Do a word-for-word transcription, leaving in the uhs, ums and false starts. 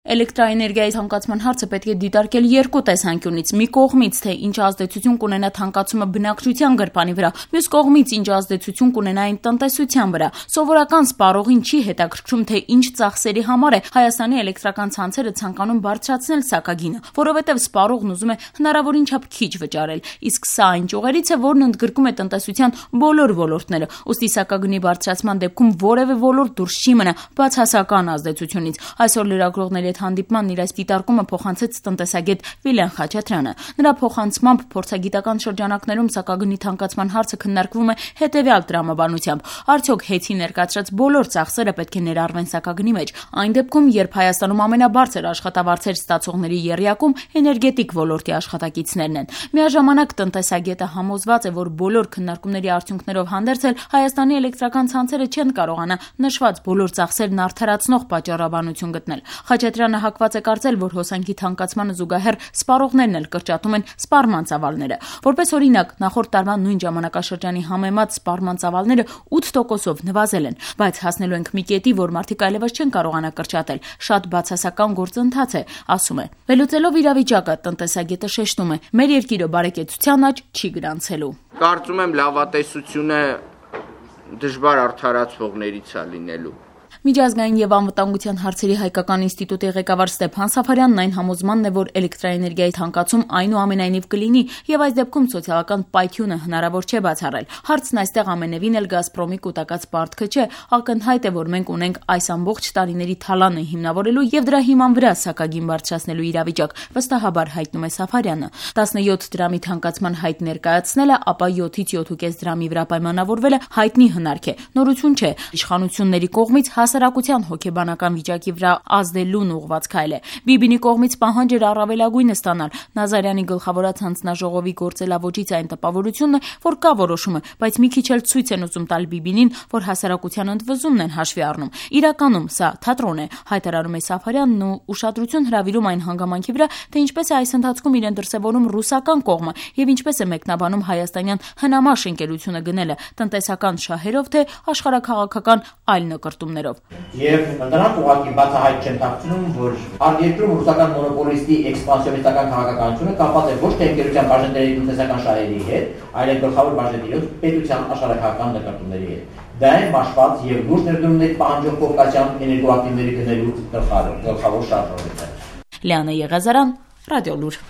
Էլեկտրաէներգիայի թանկացման հարցը պետք է դիտարկել երկու տեսանկյունից՝ մի կողմից, թե ինչ ազդեցություն կունենա թանկացումը բնակչության գրպանի վրա, մյուս կողմից՝ ինչ ազդեցություն կունենա այն տնտեսության վրա։ Սովորական սպառողին չի հետաքրքրում, թե ինչ ծախսերի համար է Հայաստանի էլեկտրական ցանցերը ցանկանում բարձրացնել սակագինը, որովհետև սպառողն ուզում է հնարավորին չափ քիչ վճարել, իսկ սա այն ճյուղերից է, որն ընդգրկում է տնտեսության բոլոր ոլորտները, ուստի սակագնի բարձրացման դեպքում որևէ ոլորտ դուրս չի մնա բացասական ազդեցությունից։ Այսօր լրագրողների հետ հանդիպմանն իր այս դիտարկումը փոխանցեց տնտեսագետ Վիլեն Խաչատրյանը։ Նրա փոխանցմամբ փորձագիտական շրջանակներում սակագնի թանկացման հարցը քննարկվում է հետևյալ տրամաբանությամբ. արդյոք հեծի ներկայացրած բոլոր ծախսերը պետք է ներառվեն սակագնի մեջ, այն դեպքում, երբ Հայաստանում ամենաբարձր աշխատավարձեր ստացողների եռյակում էներգետիկ ոլորտի աշխատակիցներն են։ Միաժամանակ տնտեսագետը համոզված է, որ բոլոր քննարկումների արդյունքներով հանդերձ էլ Հայաստանի էլեկտրական ցանցերը չեն կարողանա նշված բոլոր ծախսերն արդարացնող պատճառաբանություն գտնել։ Խաչատրյանը հակված է կարծել, որ հոսանքի թանկացմանը զուգահեռ սպառողներն էլ կրճատում են սպառման ծավալները։ Որպես օրինակ, նախորդ տարվա նույն ժամանակաշրջանի համեմատ սպառման ծավալները ութ տոկոսով նվազել են, բայց հասնելու ենք մի կետի, որ մարդիկ այլևս չեն կարողանա կրճատել։ Շատ բացասական գործընթաց է, ասում է։ Վերլուծելով իրավիճակը, տնտեսագետը շեշտում է. մեր երկիրը բարեկեցության աճ չի գրանցելու։ Կարծում եմ լավատեսությունը դժվար արդարացվողներից է լինելու։ Միջազգային եւ անվտանգության հարցերի հայկական ինստիտուտի ղեկավար Ստեփան Սաֆարյանն այն համոզմանն է, որ էլեկտրաէներգիայի թանկացում այնուամենայնիվ կլինի եւ այս դեպքում սոցիալական պայթյունը հնարավոր չէ բացառել։ Հարցն այստեղ ամենևին էլ Գազպրոմի կൂട്ടակած պարտքը չէ, ակնհայտ է, որ մենք ունենք այս ամբողջ տարիների թալանը հիմնավորելու եւ դրա հիման վրա սակագին բարձրացնելու իրավիճակ, վստահաբար հայտնում է Սաֆարյանը։ տասնյոթ դրամի թանկացման հայտ ներկայացնելը, ապա յոթից յոթ կես դրամի վրա պայմանավորվելը հայտնի հնարք է, նորություն չէ։ Իշխանությունների կողմից հասարակության հոգեբանական վիճակի վրա ազդելուն ուղղված քայլ է։ Բիբինի կողմից պահանջ էր առավելագույնը ստանալ։ Նազարյանի գլխավորած հանձնաժողովի գործելավոճից այն տպավորությունն է, որ կա որոշումը, բայց մի քիչ էլ ցույց են ուզում տալ Բիբինին, որ հասարակության ընդվզումն են հաշվի առնում։ Իրականում սա թատրոն է, հայտարարում է Սաֆարյանն ու ուշադրություն հրավիրում այն հանգամանքի վրա, թե ինչպես է այս ընթացքում իրեն դրսևորում ռուսական կողմը եւ ինչպես է մեկնաբանում հայաստանյան հնամաշ ընկերությունը գնելը տնտեսական շահերով, թե աշխարհաքաղաքական այլ նկրտումներով։ Եվ նրանք ուղղակի բացահայտ չեն դարձնում, որ արտերկրում ռուսական մոնոպոլիստի էքսպանսիոնիստական քաղաքականությունը կապված է ոչ թե ընկերության բաժնետերի տնտեսական շահերի հետ, այլ գլխավոր բաժնետերով պետության աշխարհաքաղաքական նկատումների հետ։ Դա է մաշված եւ լուրջ ներդրումների պահանջող կովկասյան էներգոակտիվների գնելու գլխավոր շարժողը։ Լիանա Եղազարյան, Ռադիոլուր։